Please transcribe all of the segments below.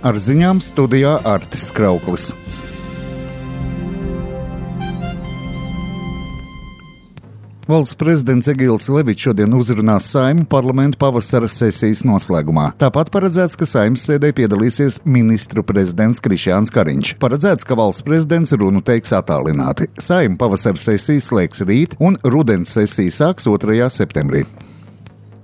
Ar ziņām studijā Artis Krauklis. Valsts prezidents Egils Levičs šodien uzrunās Saeimu parlamentu pavasara sesijas noslēgumā. Tāpat paredzēts, ka Saeimas sēdē piedalīsies ministru prezidents Krišjāns Kariņš. Paredzēts, ka valsts prezidents runu teiks attālināti. Saeima pavasara sesijas slēgs rīt un rudens sesija sāks 2. septembrī.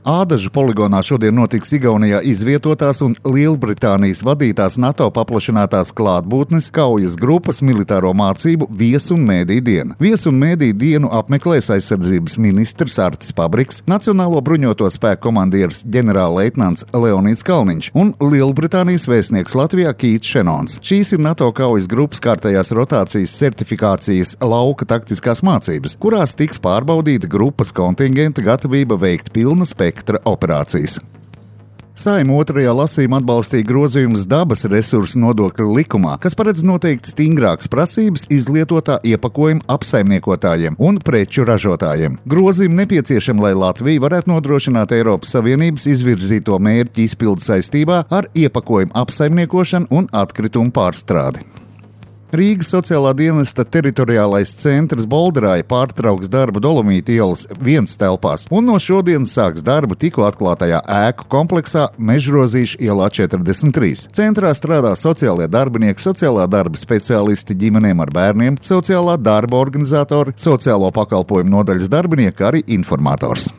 Ādažu poligonā šodien notiks Igaunijā izvietotās un Lielbritānijas vadītās NATO paplašinātās klātbūtnes kaujas grupas militāro mācību Viesu un Mēdīju diena. Viesu un Mēdīju dienu apmeklēs aizsardzības ministrs Artis Pabriks, Nacionālo bruņoto spēku komandieris ģenerālleitnants Leonīds Kalniņš un Lielbritānijas vēstnieks Latvijā Kīts Šenons. Šīs ir NATO kaujas grupas kārtējās rotācijas certifikācijas lauka taktiskās mācības, kurās tiks pārbaudīta grupas kontingenta gatavība veikt pilna spektra operācijas. Saeima otrajā lasījumā atbalstīja grozījumus dabas resursu nodokļa likumā, kas paredz noteikt stingrākas prasības izlietotā iepakojuma apsaimniekotājiem un preču ražotājiem. Grozījumi nepieciešami, lai Latvija varētu nodrošināt Eiropas Savienības izvirzīto mērķu izpildi saistībā ar iepakojuma apsaimniekošanu un atkritumu pārstrādi. Rīgas sociālā dienesta teritoriālais centrs Bolderāja pārtrauks darbu Dolomīta ielas 1 telpās un no šodienas sāks darbu tikko atklātajā ēku kompleksā Mežrozīša ielā 43. Centrā strādā sociālie darbinieki, sociālā darba speciālisti ģimenēm ar bērniem, sociālā darba organizatori, sociālo pakalpojumu nodaļas darbinieki, arī informators.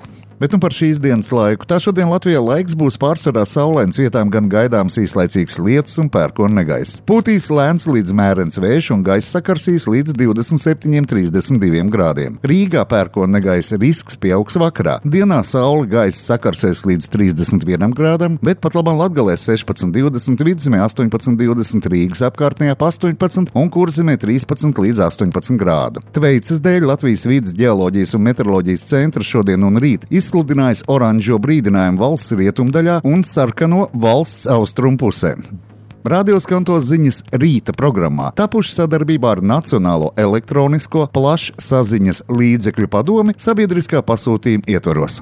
Bet par šīs dienas laiku. Tā šodien Latvijā laiks būs pārsvarā saulains, vietām gan gaidāms īslaicīgs lietus un pērkona negaiss. Pūtīs lēns līdz mērens vējš un gaiss sakarsīs līdz 27–32 grādiem. Rīgā pērkona negaisa risks pieaugs vakarā. Dienā saule gaiss sakarsēs līdz 31 grādam, bet pat labam Latgalē 16–20, Vidzemē 18–20, Rīgas apkārtnē 18 un Kurzemē 13–18 grādu. Tveicas dēļ Latvijas vides ģeoloģijas un meteoroloģijas centrs šodien un rīt izsludinājis oranžo brīdinājumu valsts rietumdaļā un sarkano valsts austrumu pusē. Radio skanto ziņas rīta programmā, tapuši sadarbībā ar Nacionālo elektronisko plašsaziņas līdzekļu padomi sabiedriskā pasūtījuma ietvaros.